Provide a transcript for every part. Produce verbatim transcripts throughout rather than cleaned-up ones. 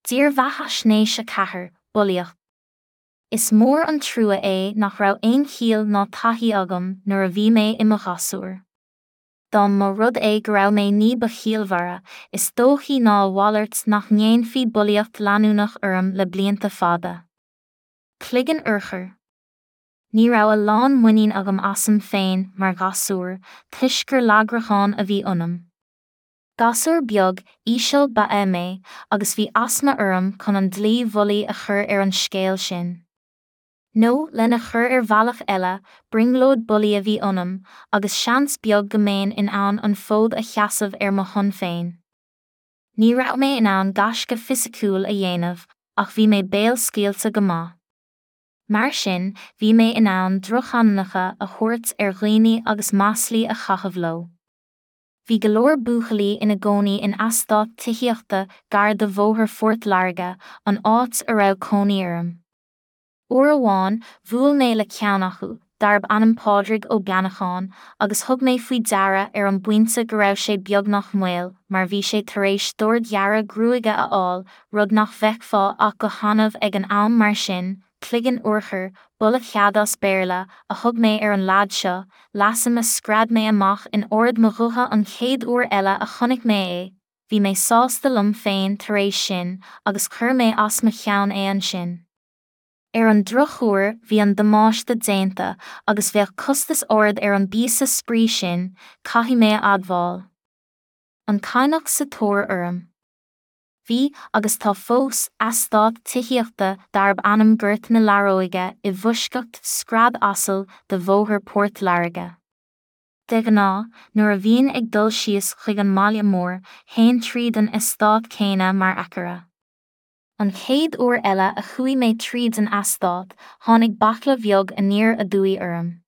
Dírbheathaisnéis a ceathair, Bulaíocht. Is mór an trua é nach raibh aon chiall ná taithí agam nuair a bhí mé i mo ghasúr. Dá mba rud é go raibh mé ní ba chiallmhaire, is dóichí ná a mhalairt nach ndéanfaí bulaíocht leanúnach orm le blianta fada. Cloigeann urchair. Ní raibh a lán muinín agam asam féin mar ghasúr, toisc gur lagrachán a bhí ionam. Gasúr beag, íseal ba ea mé, agus bhí asma orm chun an dlí bhulaí a chur ar an scéal sin. Nó, lena chur ar bhealach eile, brionglóid bulaí a bhí ionam, agus seans beag go mbeinn in ann an fód a sheasamh ar mo shon féin. Ní raibh mé in ann gaisce fisiciúil a dhéanamh, ach bhí mé béalscaoilte go maith. Mar sin, bhí mé in ann drochainmneacha a thabhairt ar dhaoine agus maslaí a chaitheamh leo. Bhí go leor buachaillí ina gcónaí in eastát tithíochta gar do Bhóthar Phort Láirge, an áit a raibh cónaí orm. Uair amháin, bhuail mé le ceann acu, darb ainm Pádraig Ó Beannacháin, agus thug mé faoi deara ar an bpointe go raibh sé beagnach maol, mar bhí sé tar éis dordghearradh gruaige a fháil, rud nach bhfeicfeá ach go hannamh ag an am mar sin, cloigeann urchair, bullet-head as Béarla, a thug mé ar an leaid seo, leasainm a scread mé amach in ard mo ghutha an chéad uair eile a chonaic mé é, bhí mé sásta liom féin tar éis sin, agus chuir mé as mo cheann é ansin. Ar an drochuair bhí an damáiste déanta, agus bheadh costas ard ar an bpíosa spraoi sin, caithfidh mé a admháil. An Cadhnach sa tóir orm. Bhí, agus tá fós, eastát tithíochta darb ainm Gort na Learóige i bhfoisceacht scread asail de Bhóthar Phort Láirge. De ghnáth, nuair a bhínn ag dul síos chuig an mbaile mór, théinn tríd an eastát céanna mar aicearra. An chéad uair eile a chuaigh mé tríd an eastát, tháinig baicle bheag aniar aduaidh orm.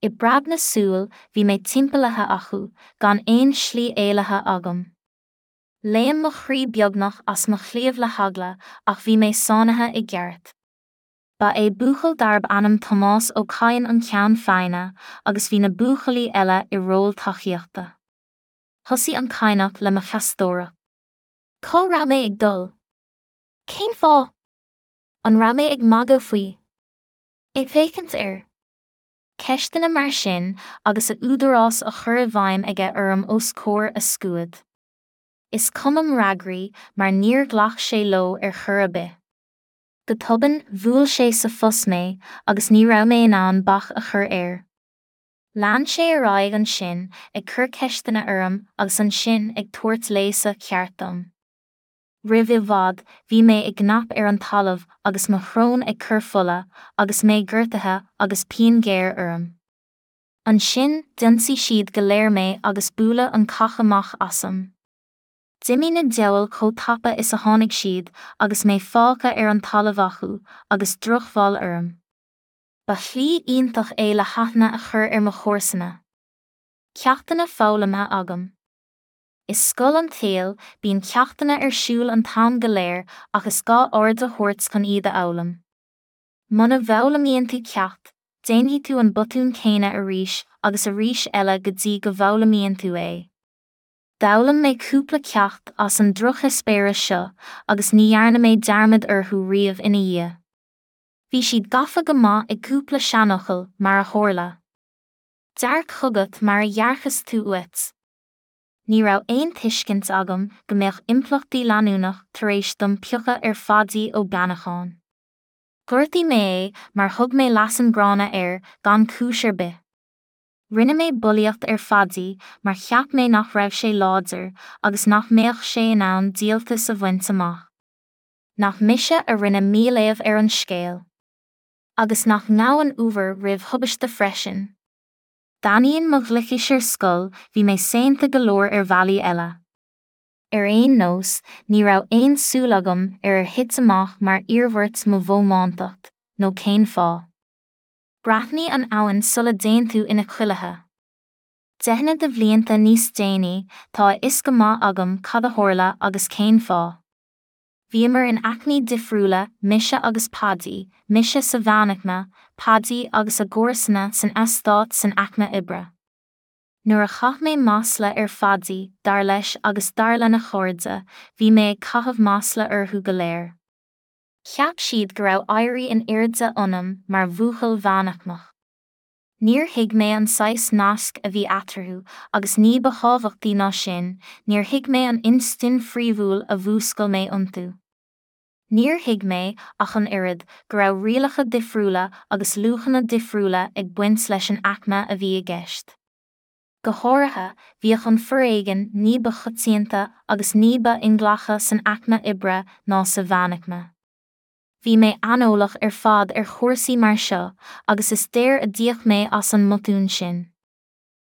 I bpreab na súl, bhí mé timpeallaithe acu, gan aon slí éalaithe agam. Léim mo chroí beagnach as mo chliabh le heagla, ach bhí mé sáinnithe i gceart. Ba é buachaill darb ainm Tomás Ó Cadhain an ceann feadhna, agus bhí na buachaillí eile i ról tacaíochta. Thosaigh an Cadhnach le mo cheastóireacht. Cá raibh mé ag dul? Cén fáth? An raibh mé ag magadh faoi? Ag féachaint air? Ceisteanna mar sin, agus a údarás á chur i bhfeidhm aige orm os comhair a scuad. Is cuma m'fhreagraí, mar níor ghlac sé leo ar chor ar bith. Go tobann, bhuail sé sa phus mé, agus ní raibh mé in ann bac a chur air. Lean sé ar aghaidh ansin, ag cur ceisteanna orm agus ansin ag tabhairt léasadh ceart dom. Roimh i bhfad, bhí mé i gcnap ar an talamh agus mo shrón ag cur fola, agus mé gortaithe agus pian ghéar orm. Ansin, d'ionsaigh siad go léir mé agus buaileadh an cac amach asam. D'imigh na diabhail chomh tapa is a tháinig siad, agus mé fágtha ar an talamh acu, agus drochbhail orm. Ba shlí iontach é le haithne a chur ar mo chomharsana. Ceachtanna foghlamtha agam. I scoil an tsaoil, bíonn ceachtanna ar siúl an t-am go léir ach is gá aird a thabhairt chun iad a fhoghlaim. Muna bhfoghlaimíonn tú ceacht, déanfaidh tú an botún céanna arís agus arís eile go dtí go bhfoghlaimíonn tú é. D'fhoghlaim mé cúpla ceacht as an drocheispéireas seo agus ní dhearna mé dearmad orthu riamh ina dhiaidh. Bhí siad gafa go maith i gcúpla seanfhocal, mar a tharla. Dearc chugat mar a dhearcas tú uait. Ní raibh aon tuiscint agam go mbeadh impleachtaí leanúnach tar éis dom piocadh ar Phaidí Ó Beannacháin. Ghortaigh mé é mar thug mé leasainm gránna air gan cúis ar bith. Rinne mé bulaíocht ar Phaidí mar cheap mé nach raibh sé láidir agus nach mbeadh sé in ann díoltas a bhaint amach. Nach mise a rinne míléamh ar an scéal. Agus nach ngabhann uabhar roimh thubaiste freisin. D'ainneoin mo ghlicis ar scoil, bhí mé saonta go leor ar bhealaí eile. Ar aon nós, ní raibh aon súil agam ar ar thit amach mar iarmhairt mo bhómántacht, nó cén fáth. Breathnaigh an abhainn sula dtéann tú ina cuilithe. Deicheanna de bhlianta níos déanaí, tá a fhios go maith agam cad a tharla agus cén fáth. Bhíomar in aicmí difriúla, mise agus Paidí, mise sa mheánaicme, Paidí agus a gcomharsana san eastát san aicme oibre. Nuair a chaith mé masla ar Phaidí, dar leis agus dar lena chairde, bhí mé ag caitheamh masla orthu go léir. Cheap siad go raibh éirí in airde ionam mar bhuachaill mheánaicmeach. Níor thuig mé an saghas naisc a bhí eatarthu agus ní ba thábhachtaí ná sin, níor thuig mé an instinn phríomhúil a mhúscail mé iontu. Níor thuig mé, ach an oiread, go raibh rialacha difriúla agus luachanna difriúla ag baint leis an aicme a bhí i gceist. Go háirithe, bhíodh an foréigean ní ba choitianta agus ní ba inghlactha san aicme oibre ná sa mheánaicme. Bhí mé aineolach ar fad ar chúrsaí mar seo, agus is daor a d'íoc mé as an mbotún sin.